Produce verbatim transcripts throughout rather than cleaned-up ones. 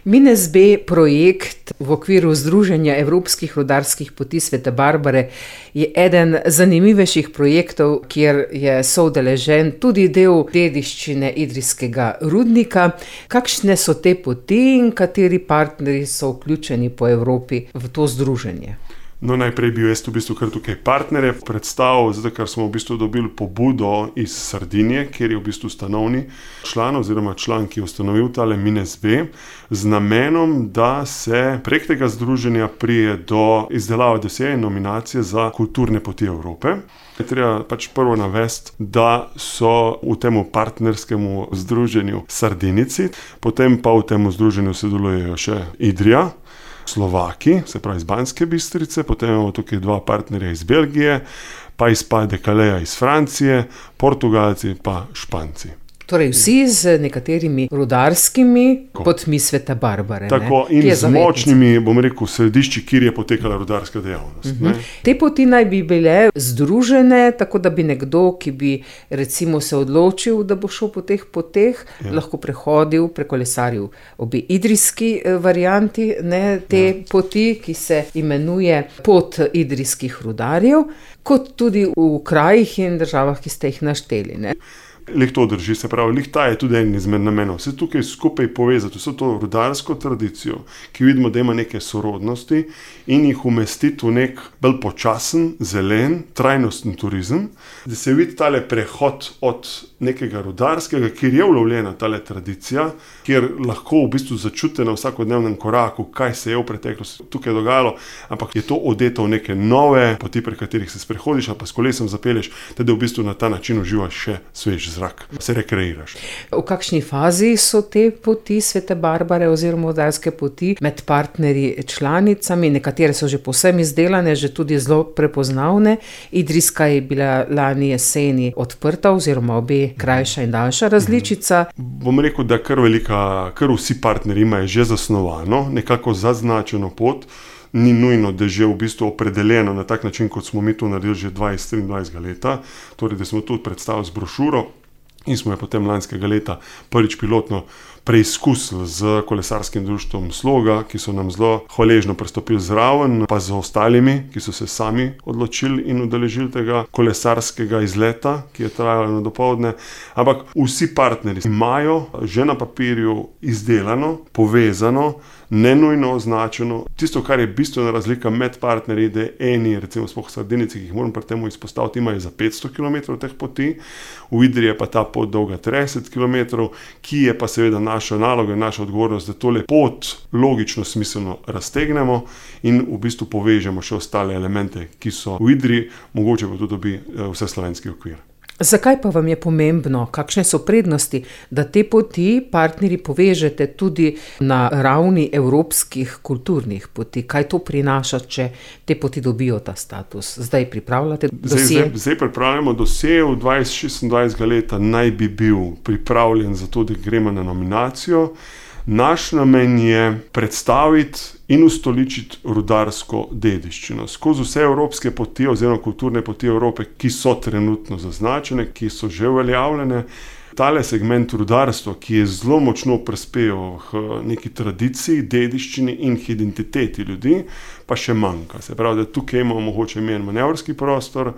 MinSB projekt v okviru Združenja evropskih rudarskih poti Svete Barbare je eden zanimivejših projektov, kjer je soudeležen tudi del dediščine idrijskega rudnika. Kakšne so te poti in kateri partnerji so vključeni po Evropi v to združenje? No, najprej bil jaz v bistvu kar tukaj partnerje predstavil, zato ker smo v bistvu dobili pobudo iz Sardinije, kjer je v bistvu ustanovni član oziroma član, ki je ustanovil tale MinSB, z namenom, da se prek tega združenja prije do izdelave dosjeja in nominacije za kulturne poti Evrope. Je treba pač prvo navesti, da so v tem partnerskemu združenju Sardinici, potem pa v tem združenju sodelujejo še Idrija, Slovaki, se pravi iz Banske Bistrice, potem imamo tukaj dva partnerja iz Belgije, pa iz Pas de Calais iz Francije, Portugalci pa Španci. Torej vsi z nekaterimi rudarskimi potmi Svete Barbare. Tako, ne? In z močnimi, bom rekel, središči, kjer je potekala rudarska dejavnost. Uh-huh. Te poti naj bi bile združene, tako da bi nekdo, ki bi recimo se odločil, da bo šel po teh poteh, ja. lahko prehodil, prekolesaril obi idrijski varianti, ne, te ja. poti, ki se imenuje pot idrijskih rudarjev, kot tudi v krajih in državah, ki ste jih našteli. Ne? Lih to drži, se pravi, lih ta je tudi en izmed namenov. Vse tukaj skupaj povezati, vso to rudarsko tradicijo, ki vidimo, da ima neke sorodnosti, in jih umestiti v nek bolj počasen, zelen, trajnosten turizem, da se vidi tale prehod od nekega rudarskega, kjer je ulovljena tale tradicija, kjer lahko v bistvu začutite na vsakodnevnem koraku, kaj se je v preteklosti tukaj dogajalo, ampak je to odeto v neke nove poti, pri katerih se sprehodiš, ali pa s kolesom zapelješ, teda v bistvu na ta način uživaš še svež zrak, se rekreiraš. V kakšni fazi so te poti Svete Barbare oziroma rudarske poti med partnerji članicami? Nekatere so že povsem izdelane, že tudi zelo prepoznavne. Idrijska je bila lani jeseni odprta oziroma obe krajša in daljša različica. Bom rekel, da kar velika, kar vsi partnerji imajo že zasnovano, nekako zaznačeno pot. Ni nujno, da je že v bistvu opredeljeno na tak način, kot smo mi to naredili že dvajset triindvajsetega leta, torej da smo tudi predstavili z brošuro in smo jo potem lanskega leta prvič pilotno preizkusili z kolesarskim društvom Sloga, ki so nam zelo hvaležno pristopili zraven, pa z ostalimi, ki so se sami odločili in udeležili tega kolesarskega izleta, ki je trajalo na dopoldne. Ampak vsi partnerji imajo že na papirju izdelano, povezano, nenujno označeno. Tisto, kar je bistvena razlika med partnerji, da eni, recimo sploh Sardinici, ki jih moram pri temu izpostaviti, imajo za petsto kilometrov teh poti, v Idriji je pa ta pot dolga trideset kilometrov, ki je pa seveda naša naloga in naša odgovornost, da tole pot logično, smiselno raztegnemo in v bistvu povežemo še ostale elemente, ki so v Idriji, mogoče pa tudi dobi vseslovenski okvir. Zakaj pa vam je pomembno, kakšne so prednosti, da te poti partnerji povežete tudi na ravni evropskih kulturnih poti? Kaj to prinaša, če te poti dobijo ta status? Zdaj pripravljate dosje? Zdaj, zdaj, zdaj pripravljamo dosje, v dvajset šestindvajsetega leta naj bi bil pripravljen za to, da gremo na nominacijo. Naš namen je predstaviti in ustoličiti rudarsko dediščino skozi vse evropske poti oziroma kulturne poti Evrope, ki so trenutno zaznačene, ki so že uveljavljene. Tale segment rudarstva, ki je zelo močno prispeval k neki tradiciji, dediščini in identiteti ljudi, pa še manjka. Se pravi, da tukaj imamo mogoče imeti manevrski prostor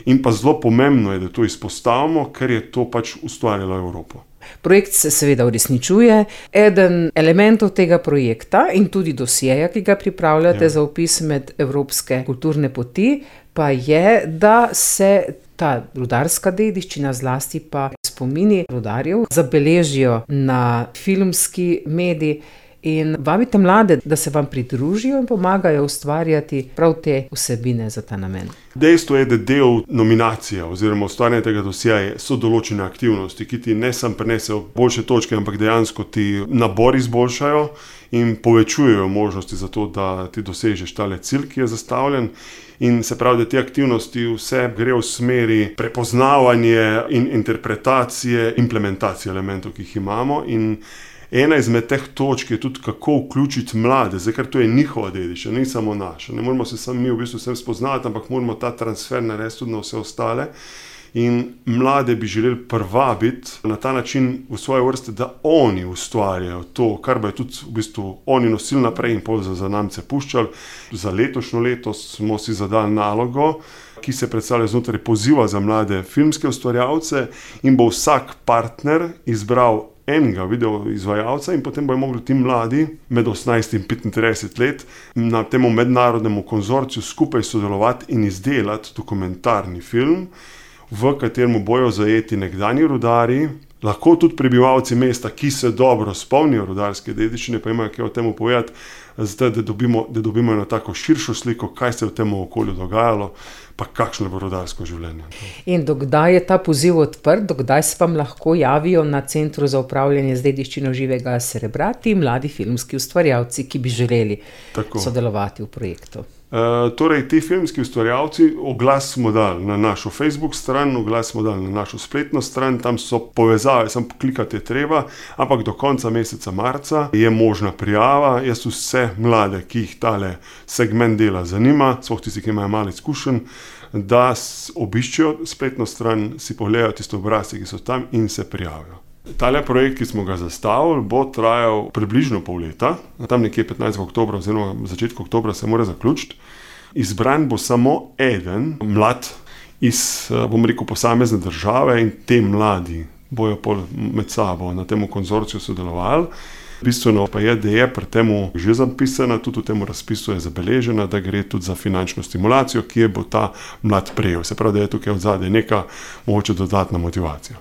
in pa zelo pomembno je, da to izpostavimo, ker je to pač ustvarjalo Evropo. Projekt se seveda uresničuje. Eden elementov tega projekta in tudi dosjeja, ki ga pripravljate ja. za vpis med evropske kulturne poti, pa je, da se ta rudarska dediščina, zlasti pa spomini rudarjev, zabeležijo na filmski medij in vabite mlade, da se vam pridružijo in pomagajo ustvarjati prav te vsebine za ta namen. Dejstvo je, da del nominacije oziroma ustvarjanja tega dosjeja so določene aktivnosti, ki ti ne samo prinesejo boljše točke, ampak dejansko ti nabor izboljšajo in povečujejo možnosti za to, da ti dosežeš tale cilj, ki je zastavljen. In se pravi, da te aktivnosti vse gre v smeri prepoznavanja in interpretacije, implementacije elementov, ki jih imamo. In ena izmed teh točk je tudi, kako vključiti mlade, zdaj, ker to je njihova dediščina, ni samo naša. Ne moramo se sami mi v bistvu vsem spoznati, ampak moramo ta transfer narediti tudi na vse ostale. in mlade bi želeli privabiti na ta način v svoje vrste, da oni ustvarjajo to, kar bojo tudi v bistvu oni nosili naprej in pol za zanamce puščali. Za letošnjo leto smo si zadali nalogo, ki se predstavlja znotraj poziva za mlade filmske ustvarjalce, in bo vsak partner izbral enega video izvajalca in potem bojo mogli ti mladi med osemnajst in petintrideset let na temu mednarodnemu konzorciju skupaj sodelovati in izdelati dokumentarni film, v katerem bojo zajeti nekdanji rudarji, lahko tudi prebivalci mesta, ki se dobro spomnijo rudarske dediščine, pa imajo kaj o tem povedati, zdaj, da dobimo, da dobimo eno tako širšo sliko, kaj se je v tem okolju dogajalo, pa kakšno bo rudarsko življenje. In dokdaj je ta poziv odprt, dokdaj se vam lahko javijo na Centru za upravljanje z dediščino živega srebra ti mladi filmski ustvarjalci, ki bi želeli tako sodelovati v projektu? Uh, torej, ti filmski ustvarjalci, oglas smo dali na našo Facebook stran, oglas smo dali na našo spletno stran, tam so povezave, samo klikati je treba, ampak do konca meseca marca je možna prijava. Jaz vse mlade, ki jih tale segment dela zanima, sploh tisti, ki imajo malo izkušenj, da obiščejo spletno stran, si pogledajo tiste obrazce, ki so tam, in se prijavijo. Tale projekt, ki smo ga zastavili, bo trajal približno pol leta, tam nekje petnajstega oktobra oziroma v začetku oktobra se mora zaključiti. Izbran bo samo eden mlad iz, bom rekel, posamezne države, in te mladi bojo pol med sabo na temu konzorciju sodelovali. Bistveno pa je, da je pri temu že zapisana, tudi v temu razpisu je zabeležena, da gre tudi za finančno stimulacijo, ki je bo ta mlad prejel. Se pravi, da je tukaj odzadaj neka mogoče dodatna motivacija.